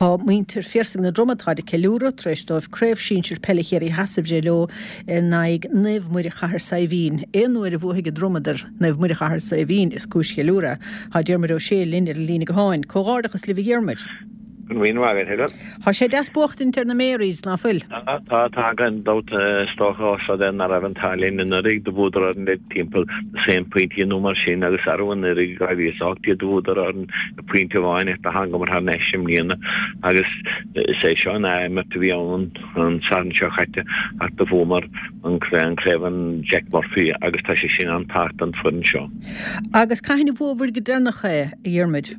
Tá muintir Phiarsaigh na Droma táid ag ceiliúradh tar éis dóibh Craobh Sinsir Peile Chiarraí Theas a bhreith leo in aghaidh Naomh Muire Chathair Saidhbhín. Aon uair a bhuafaidh an Dromad ar Naomh Muire Chathair Saidhbhín is cúis cheiliúrtha é. Tá Diarmuid Ó Sé linn ar an líne gutháin. Comhghairdeachas libh a Dhiarmuid. Go raibh míle maith agat, Helen. Tá sé deas buachtaint ar na Marys, ná fuil? Tá, tá, tá, gan dabht. Is dócha ós rud é ná raibh an t-ádh linn anuraidh do bhuadar orainn le timpeall dosaen pointí nó mar sin agus arú anuraidh 2018 do bhuadar orainn le pointe amháin ach do thángamar thar n-ais i mbliana agus is é seo an ath-imirt a bhí ann an Satharn seo caite ach do bhuamar an craobh an Jack Murphy agus tá sé sin an-tábhachtach don foireann seo. Agus cathain a bhuabhair go deireanach é, a Dhiarmuid?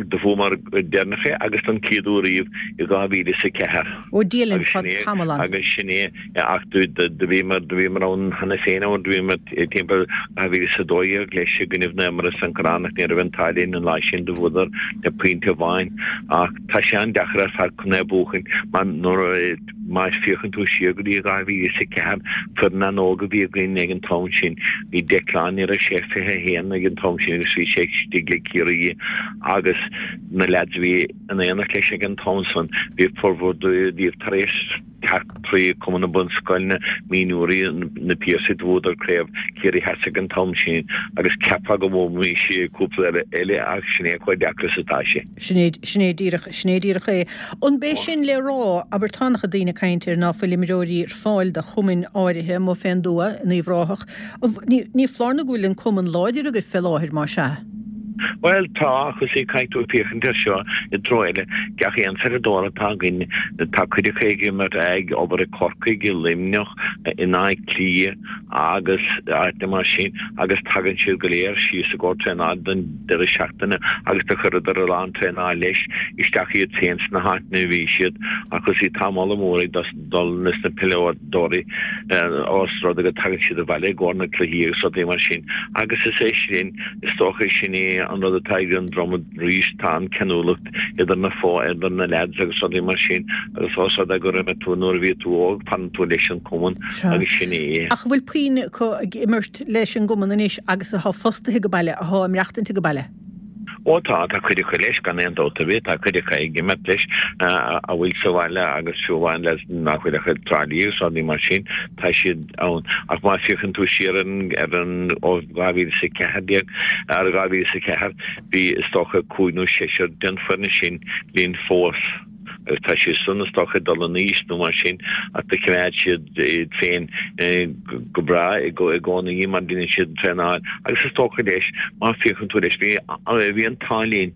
Do bhuamar go deireanach é agus don chéad uair riamh i 2004. Ó Dia linn, tá tamall ann. Agus sin é, ach do bhíomar, do bhíomar ann cheana féin ann, do bhíomar timpeall 2012 leis i gcoinnibh Naomh Muire san Corrán ach ní raibh an t-ádh linn an lá sin, do bhuadar le pointe amháin. Ach tá sé an-deacair ar fad chun é a bhuachan mar nuair a, Má féachann tú siar go dtí 2004, foireann an-óg a bhí againn ag an t-am sin. Bhí Declan, ní raibh sé 21 ag an t-am sin agus bhí sé istigh le Ciarraí agus na leaids a bhí in éineacht leis ag an t-am san, bhí formhór díobh tar éis teacht trí Cumann na Bunscoileanna, mionúirí, na Piarsaigh, do bhuadar craobh Chiarraí Theas ag an t-am sin agus cheapfá go mbuafaimís cúpla eile ach sin é chomh deacair is atá sé. Sin é, sin é díreach, sin é díreach é. An b'é sin le rá, abair tá an-chuid daoine ag caint ar ná fuil imreoirí ar fáil do chumainn áirithe amuigh fén dtuath, in Uíbh Ráthach. Ní, ní foláir nó go bhfuil an cumann láidir agaibh fé láthair, más ea? Bhuel, tá, ach is é caithfidh tú féachaint air seo i dtreo eile. Gach aon pheileadóir atá againn, tá cuid acu ag imirt, ag obair i Corcaigh, i Luimneach, in Áth Cliath agus áiteanna mar sin agus tagann siad go léir síos i gcomhair traenáil don deireadh seachtaine agus do chuireadar a lán traenáil leis isteach iad féin sna háiteanna a bhí siad ach is í tá moladh mór ag dul leis na peileadóirí ós rud é go dtagann siad abhaile i gcomhair na cluichí agus rudaí mar sin agus is é sin is dócha sin é an rud atá ag an Dromad arís tá an ceanúlacht idir na fo idir na leaids agus rudaí mar sin agus ós rud é gur imir tú nuair a bhí tú óg fanann tú leis an cumann agus sin é. Ach an bhfuil puinn acu ag imirt leis an gcumann anois agus athá fostaithe age baile, athá ag maireachtaint age baile. Ó tá, tá cuid acu leis, gan aon dabht ar bith, tá cuid acu ag imirt leis a bhfuil sa bhaile agus fiú amháin leis nach bhfuil ach i dTrá Lí agus rudaí mar sin, tá siad ann. Ach má féachann tú siar ar an, ar an, ó 2014, ar 2004, bhí is dócha cúig nó seisear den foireann sin linn fós. agus tá siad san is dócha ag dul in aois nó mar sin ach do choimeád siad iad féin go breá i gcónaí mar deineann siad an traenáil agus is dócha leis má féachann tú leis bhí bhí an t-ádh linn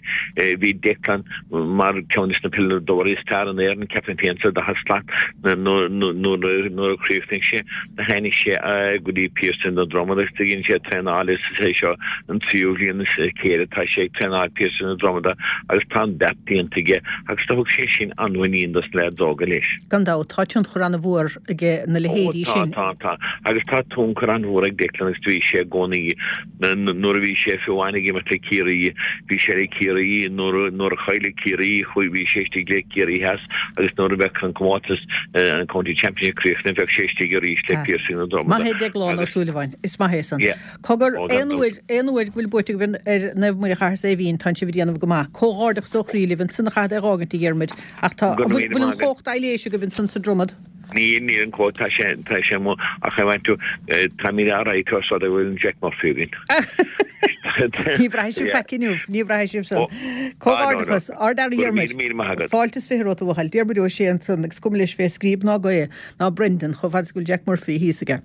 bhí Declan mar ceann des na peileadóirí is fearr in Éirinn ceapaim féin sa daichead slat nuair a chríochnaigh sé do tháinig sé go dtí Piarsaigh na Dromad agus do dhein sé traenáil is é seo an tríú bhliain as a chéile atá sé ag traenáil Piarsaigh na Dromada agus tá an beart déanta aige agus do thug sé sin an-mhuinín dos na leaids óga leis. Gan dabht, tá tionchar an-mhór ag na leithéidí sin. Ó tá, tá, tá. Agus tá tionchar an-mhór ag Declan agus do bhí sé i gcónaí Nuair a bhí sé fiú amháin ag imirt le Ciarraí, bhí sé le Ciarraí, nuair a chaill Ciarraí, chuaigh, bhí sé istigh le Ciarraí Theas agus nuair a bheadh an comórtas, an County Championship críochnaithe, bheadh sé istigh arís le Piarsaigh na Dromada. Maith é Deaglán Ó Súilleabháin, is maith é san. Cogar, aon uair, aon uair go bhfuil buaite agaibh ar Naomh Muire Chathair Saidhbhín, tánn sibh ag déanamh go maith. Comhghairdeachas ó chroí libh ansan a chaithfead é a dh'fhágaint, a Dhiarmuid, ach tá, bhfuil, bhfuil an chóch aibhléise agaibh ansan sa Dromad? Níl, níl an cóch, tá sé, tá sé amuigh, ach I want to, táimid alright os rud é go bhfuil an Jack Murphy againn. Ní bhraithfidh sibh faic inniu, ní bhraithfidh sibh san. Comhghairdeachas, Ard-fhear a Dhiarmuid. Fáilte is 20 romhat a bhuachaill. Diarmuid Ó Sé ansan agus cuma leis fé scríob ná gaoth ná Brendan chomh fada is go bhfuil Jack Murphy thíos aige.